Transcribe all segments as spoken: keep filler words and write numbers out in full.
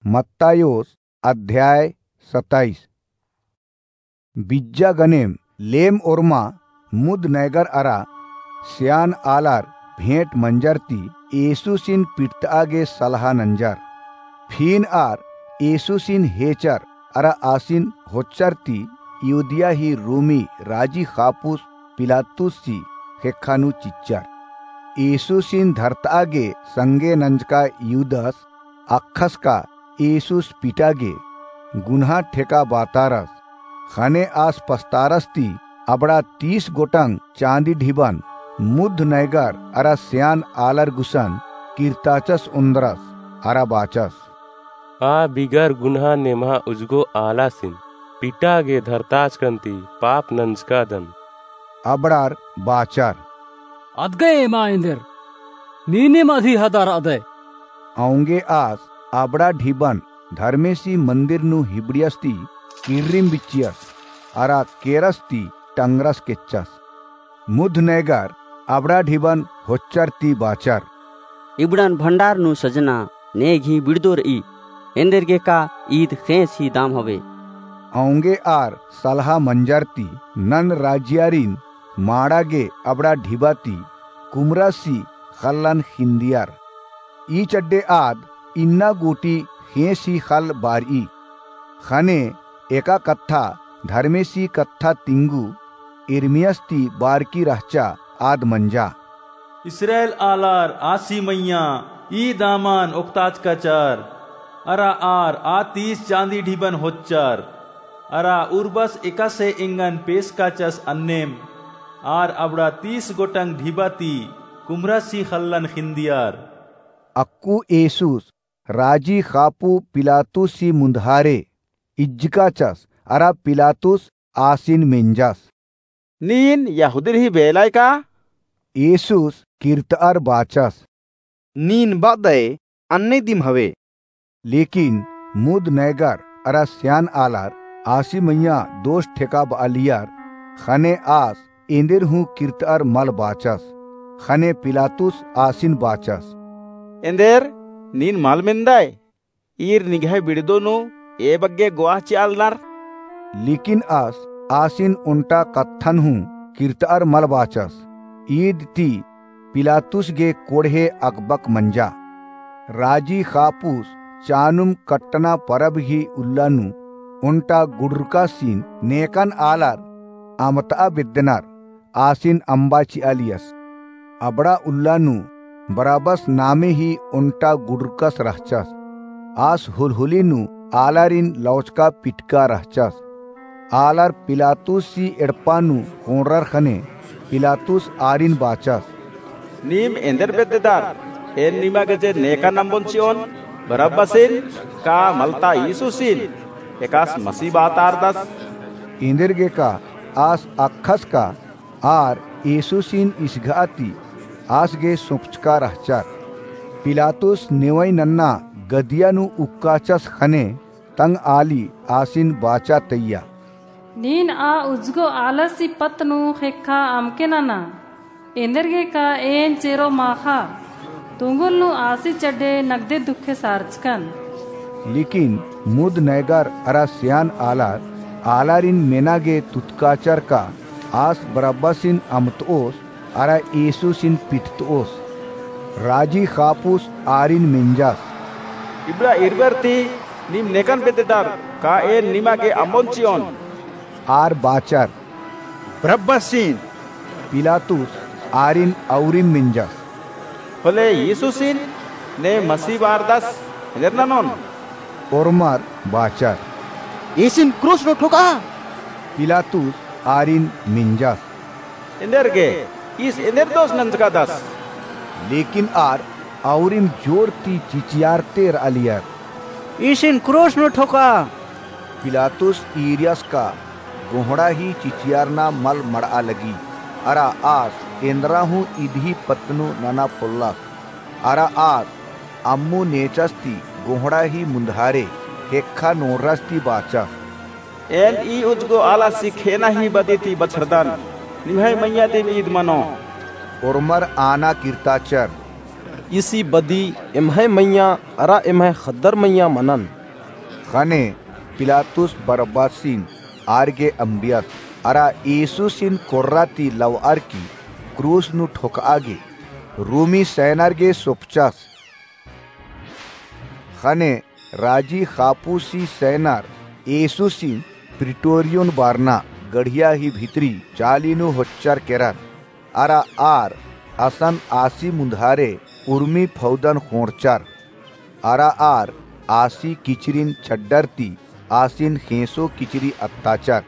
मत्तायोस अध्याय सताइस। बिज्जा गनेम लेम ओर्मा मुद नैगर अरा स्यान आलर भेंट मंजर ती येसुसिन पिटतआ गे सलहा नंजर। फिन आर येसुसिन हेचर अरा आसिन होच्चर ती यहूदिया ही रोमी राजी खापुस पिलातुस सी ख़ेक्खा नू चिच्चर। येसुसिन धरतआ गे संगे नंजका यूदस अक्खस का येसुस पिटा गे गुन्हा ठेका बातारस। ख़ने आस पस्तारस ती अबड़ा तीस गोटंग चाँदी ढिबन मुद नैगर अरा स्यान आलर गुसन किर्ताचस ओन्द्रस अरा बाचस। आ बिगर गुन्हा नेम्हा उजगो आलासिन पिटा गे धरताचकन ती पाप नंजकादन। अबड़ार बाचर। अदगय एमा एन्देर, नीनिम अधि हदर अदय। औंगे आस अबड़ा ढिबन धर्मेसी मन्दिर नू हिबड़ियस ती किर्रिम बिच्चियस, अरा केरस ती टंगरस केच्चस। मुध नैगर अबड़ा ढिबन होच्चर ती बाचर। इबड़न भंडार नू सजना नेग ही बिड़दो रई, एन्देरगे का ईद ख़ेंस ही दाम हवे। औंगे आर सलहा मंजर ती नन राजियारिन माड़ा गे अबड़ा ढिबा ती कुमरा सी ख़ल्लन ख़िन्दियर। ई चड्डे आद इन्ना गूटी ख़ेंस ही ख़ल्ल बारई। ख़ने एका कत्था धर्मेसी कत्था तिंगु इर्मियास ती बारकी रहचा आद मंजा। इस्राएल आलर आसी मइय्याँ ई दामन ओक्ताचकाचर, अरा आर आ तीस चाँदी ढिबन होच्चर, अरा उर्बस एकासे एंगन पेसकाचस अन्नेम, आर अबड़ा तीस गोटंग ढिबा ती कुम्हरासी ख़ल्लन ख़िन्दियर। अक्कु येसुस राजी ख़ापु पिलातुसी मुन्धारे इज्जकाचस, अरा पिलातुस आसिन मेंजस। नीन यहूदिर ही बेलाय का? येसुस किर्तअर बाचस। नीन बअदय अन्ने दिम हवे। लेकिन मुद नैगर अरा स्यान आलर आसी मइय्याँ दोष ठेकाबअलियर, ख़ने आस एन्देर हूँ किर्तअर मल बाचस। ख़ने पिलातुस आसिन बाचस। एन्देर नीन मल मेन्दय? ईर निंग्है बिड़दो नू ए बग्गे गोआह चिआलनर। लेकिन आस आसिन ओन्टा कत्थन हूँ किर्तअर मल बाचस। ईद ती पिलातुस गे कोड़हे अकबक मंजा। राजी ख़ापुस चानुम कट्टना परब ही उल्ला नू ओन्टा गुडुरकासिन नेकन आलर अमतआ बेद्दनर। आसिन अम्बा चिआलियस। अबड़ा उल्ला नू बरअबस नामे ही ओन्टा गुडुरकस रहचस। आस हुलहुली नू आलारिन लौचका पिटका रहचस। आलर पिलातुसी एड़पा नू कोंड़रर ख़ने पिलातुस आरिन बाचस। नीम एन्देर बेद्ददर? एन निमा गे जे नेकन अम्बोन चिओन, बरअबसिन का मलता येसुसिन, एकास मसी बातारदस? एन्देरगे का आस अक्खस का आर येसुसिन इसघा ती आस गे सोंपचका रहचर। पिलातुस नेवई नन्ना गदिया नू उक्काचस ख़ने तंगआली आसिन बाचा तइया। नीन आ उजगो आलसी पत्त नू ख़ेक्खा अमके नना, एन्देरगे का एन चेरो माख़ा, तुंगुल नू आसी चड्डे नगदे दुखे सारचकन। लेकिन मुद नैगर अरा स्यान आलर आलारिन मेना गे तुतकाचर का आस बरअबसिन अमतओस अरा येसुसिन पिटतओस। राजी ख़ापुस आरिन मेंजस। इबड़ा इरबर ती नीम नेकन बेद्ददर, का एन निमा गे अम्बोन चिओन? आर बाचर। बरअबसिन। पिलातुस आरिन अउरिम मेंजस। होले येसुसिन ने मसी बारदस एन्देर ननोन? ओर्मर बाचर। ईसिन क्रूस नू ठोका। पिलातुस आरिन मेंजस। एन्देरगे ईस एन्देर दोष नंजकादस? लेकिन आर अउरिम जोर ती चिचियारते रअलियर। ईसिन क्रूस नू ठोका। पिलातुस ईरियस का गोहड़ा ही चिचियारना मल मड़आ लगी, अरा आस एन्दरा हूँ इदही पत्त नू नना पोल्लस। अरा आस अम्मु नेचस ती गोहड़ा ही मुन्धारे ख़ेक्खा नोड़रस ती बाचस। एन ई उजगो आलासी खेना ही बदी ती बछरदन, निम्है मइय्याँ दिम ईद मनो। ओर्मर आना किर्ताचर। ईसी बदी एम्है मइय्याँ अरा एम्है ख़द्दर मइय्याँ मनन। ख़ने पिलातुस बरब्बासिन आर गे अम्बियस, अरा येसुसिन कोर्रा ती लवअर की क्रूस नू ठोकआ गे रोमी सैनर गे सोपचस। ख़ने राजी ख़ापूसी सैनर येसुसिन प्रिटोरियोन बारना गढ़िया ही भितरी चाली नू होच्चर केरर। अरा आर असन आसी मुन्धारे उर्मी फौदन ख़ोंड़चर। अरा आर आसी किचरिन छड्डर ती आसिन ख़ेंसो किचरी अत्ताचर।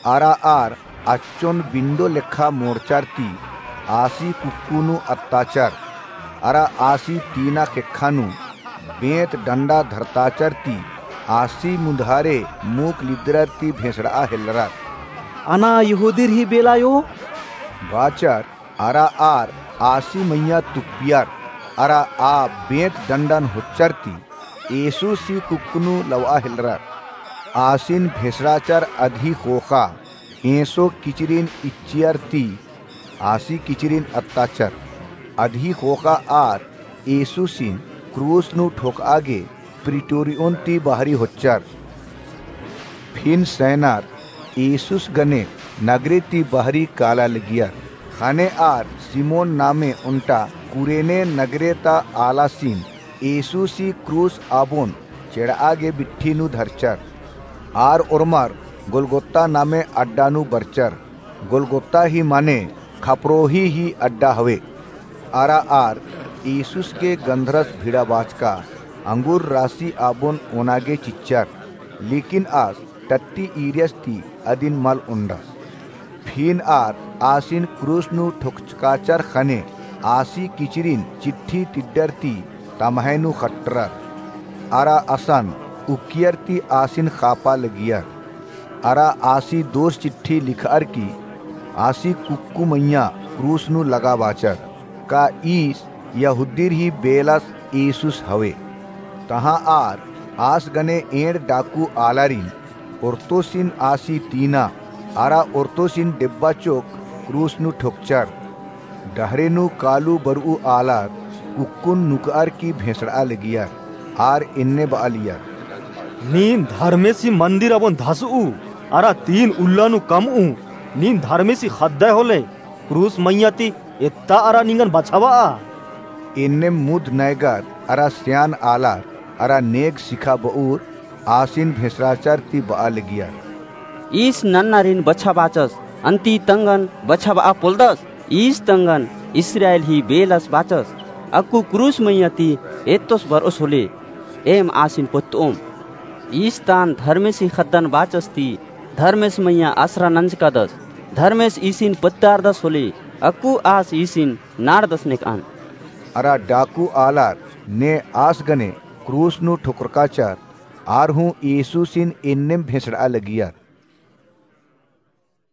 अरा आर अच्चोन बिंडो लेखा मोड़चर ती आसी कुक्कु नू अत्ताचर। अरा आसी तीना ख़ेक्खा नू बेंत डंडा धरताचर ती आसी मुन्धारे मूक लिद्दरर ती भेंसड़आ हेल्लरर। अना यहूदीर ही बेला यो? बाचर। अरा आर आसी मइय्याँ तुप्पियर, अरा आ बेंत डंडन होच्चर ती येसुसी कुक्कु नू लवआ हेल्लरर। आसिन भेंसड़ाचर अदही ख़ोख़ा ख़ेंसो किचरिन इच्चियर ती आसी किचरिन अत्ताचर। अदही ख़ोख़ा आर येसुसिन क्रूस नू ठोकआ गे प्रिटोरियोन ती बहरी होच्चर। फिन सैनर येसुस गने नगरे ती बहरी काला लगियर। ख़ने आर सिमोन नामे ओन्टा कुरेने नगरे ता आलासिन येसुसी क्रूस आबोन चेड़आ गे बिट्ठी नू धरचर। आर ओर्मर गोलगोत्ता नामे अड्डा नू बरचर। गोलगोत्ता ही माने खपरोही ही अड्डा हवे। अरा आर येसुस गे गंधरस भिड़ाबाचका अंगुर रासी आबोन ओना गे चिच्चर, लेकिन आस टट्टी ईरियस ती अदिन मल ओन्डस। फिन आर आसिन क्रूस नू ठोकचकाचर ख़ने आसी किचरिन चिट्ठी तिड्डर ती तम्है नू ख़ट्टरर। अरा असन उक्कियर ती आसिन ख़ापा लगियर। अरा आसी दोस चिट्ठी लिखअर की आसी कुक्कु मइय्याँ क्रूस नू लगाबाचर। का ईस यहूदीर ही बेलस येसुस हवे। तहाँ आर आस गने एंड़ डाकू आलारिन ओर्तोसिन आसी तीना अरा ओर्तोसिन डेब्बा चोक क्रूस नू ठोकचर। डहरे नू कालू बरऊ आलर कुक्कुन नुकअर की भेंसड़आ लगियर। आर एन्ने बआलियर। नीन धर्मेसी मंदिर आबोन धसऊ अरा तीन उल्ला नू कमऊ। नीन धर्मेसी ख़द्दय होले क्रूस मइय्याँ ती एत्ता अरा निंगन बछाबआ। एन्नेम मुद नैगर अरा स्यान आलर अरा नेग सिखाबऊर आसिन भेंसड़ाचर ती बआ लगियर। ईस नन्नारिन बछाबाचस, अन्ती तंगन बछाबआ पोलदस। ईस तंगन इस्राएल ही बेलस बाचस। अक्कु क्रूस मइय्याँ ती एत्तोस बरओस होले, एम आसिन पोत्तओम। ईस तान धर्मेसी ख़द्दन बाचस ती धर्मेस मइय्याँ असरा नंजकादस। धर्मेस ईसिन पोत्तारदस होले, अक्कु आस ईसिन नाड़दस नेकअन। अरा डाकू आलर ने आस गने क्रूस नू ठोकरकाचर। आर हूँ येसुसिन एन्नेम भेंसड़आ लगियर।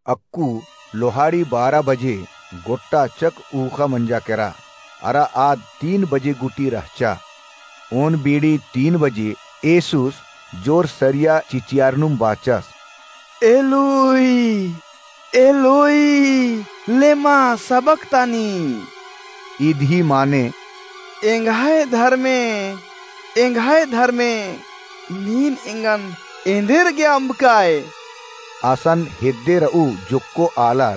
अक्कु लोहाड़ी बारा बजे गोट्टा चक ऊख़ा मंजा केरा। अरा आद तीन बजे गूटी रहचा। ओन बीड़ी तीन बजे येसुस जोर सरिया चिचियारनुम बाचस, एलोई, एलोई, लेमा सबक्तानी? इदही माने, एंग्है धर्मे, एंग्है धर्मे, नीन एंगन एन्देरगे अम्बकाय? असन हेद्दे रऊ जोक्को आलर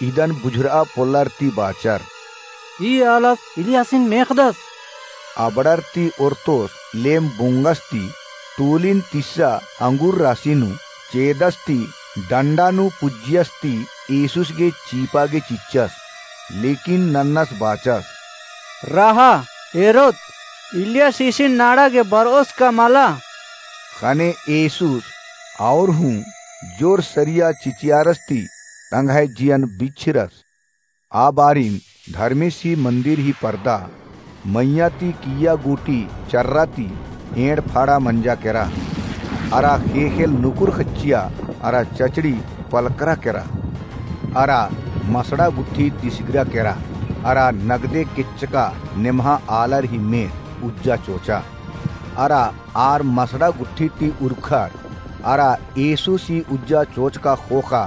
इदन बुझुरआ पोल्लर ती बाचर। ई आलस इलियासिन मेख़दस। अबड़र ती ओर्तोस लेम बोंगस ती तूलिन तिस्सा अंगुर रासी नू चेदस ती डंडा नू पुज्जियस ती येसुस गे चीपा गे चिच्चस। लेकिन नन्नस बाचस, रहा, एरोत, इलियास ईसिन नाड़ा गे बरओस का मला। ख़ने येसुस और हूँ जोर सरिया चिचियारस ती तंग्है जियन बिच्छिरस। आ बारिन धर्मेसी मंदिर ही परदा मइय्याँ ती किइय्या गूटी चर्रा ती एंड़ फाड़ा मंजा केरा। अरा ख़ेख़ेल नुकुर ख़च्चिया अरा चचड़ी पलकरा केरा। अरा मसड़ा गुट्ठी तिसगरा केरा। अरा नगदे केच्चका नेम्हा आलर ही मेर उज्जा चोचा। अरा आर मसड़ा गुट्ठी ती उरखर। अरा येसुसी उज्जा चोचका ख़ोख़ा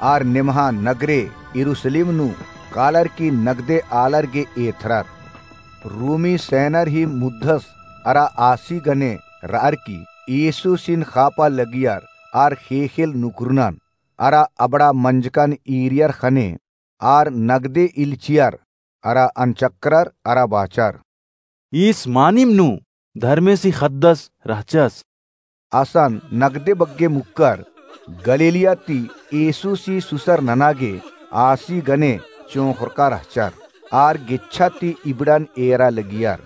आर नेम्हा नगरे यरूसलेम नू कालर की नगदे आलर गे एथरर। रोमी सैनर ही मुद्धस अरा आसी गने रअर की येसुसिन खापा लगियर आर ख़ेख़ेल नुकुरनन अरा अबड़ा मंजकन ईरियर ख़ने आर नगदे इल्चियर अरा अनचकरर अरा बाचर, ईस मानिम नू धर्मेसी ख़द्दस रहचस। असन नगदे बग्गे मुक्कर गलीलिया ती येसुसी सुसर नना गे आसी गने चोंख़रका रहचर। आर गेच्छा ती इबड़न एरा लगियर।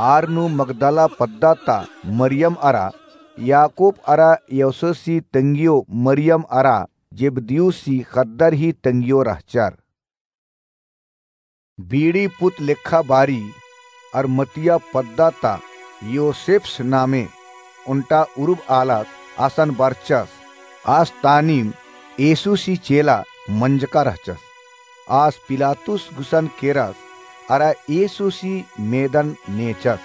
आर नू मगदला पद्दा ता मरियम अरा याकूब अरा यौसेसी तंगियो मरियम अरा जेबदियुसी ख़द्दर ही तंगियो रहचर। बीड़ी पुत लेखा बारी अरमतिया पद्दा ता योसेप्स नामे ओन्टा उरुब आलस। असन बरचस आस तानिम येसुसी चेला मंजका रहचस। आस पिलातुस गुसन केरस अरा येसुसी मेदन नेचस।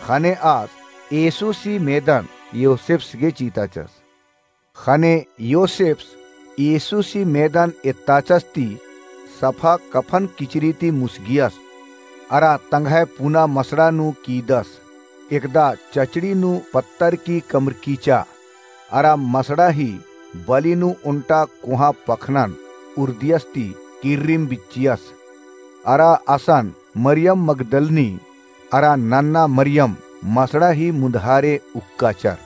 ख़ने आस येसुसी मेदन योसेप्स गे चिताचस। ख़ने योसेप्स येसुसी मेदन एत्ताचस ती सफा कफन किचरी ती मुसगियस अरा तंग्है पुना मसड़ा नू कीदस। एकदा चचड़ी नू पत्तर की कमरकीचा अरा मसड़ा ही बली नू ओन्टा कोहाँ पखनन उर्दियस ती किर्रिम बिच्चियस। अरा असन मरियम मगदलनी अरा नन्ना मरियम मसड़ा ही मुन्धारे उक्काचर।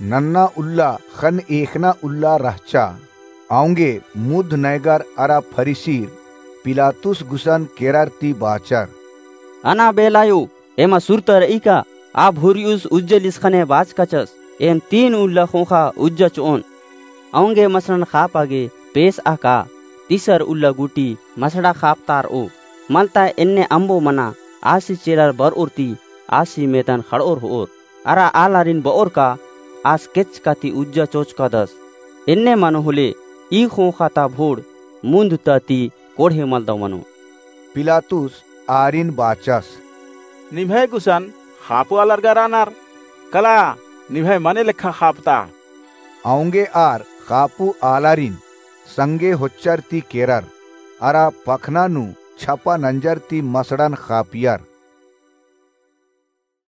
नन्ना उल्ला ख़ने ख़ेख़ना उल्ला रहचा। औंगे मुद्ध नैगर अरा फरीसीर पिलातुस गुसन केरर ती बाचर, अना बेलायो एमा सुरता रई का? आ भुरियुस उज्जलिस ख़ने बाचकाचस, एम तीन उल्ला ख़ोख़ा उज्जा चिओन। औंगे मसड़न ख़ापा गे पेसआ का? तिसर उल्ला गूटी मसड़ा ख़ापतारओ। मलता एन्ने अम्बो मना आसी चेलर बरओर ती आसी मेदन ख़ड़ओर होओर। अरा आलारिन बओर का आस केचका ती उज्जा चोचकादस। एन्ने मनो होले ई ख़ोख़ा ता भोड़ मुन्ध ता ती कोड़हे मलदव मनो। पिलातुस आरिन बाचस, निम्है गुसन ख़ापु आलर गा रअनर, कला निम्है मने लेखा ख़ापता। औंगे आर ख़ापु आलारिन संगे होच्चर ती केरर अरा पखना नू छपा नंजर ती मसड़न ख़ापियर।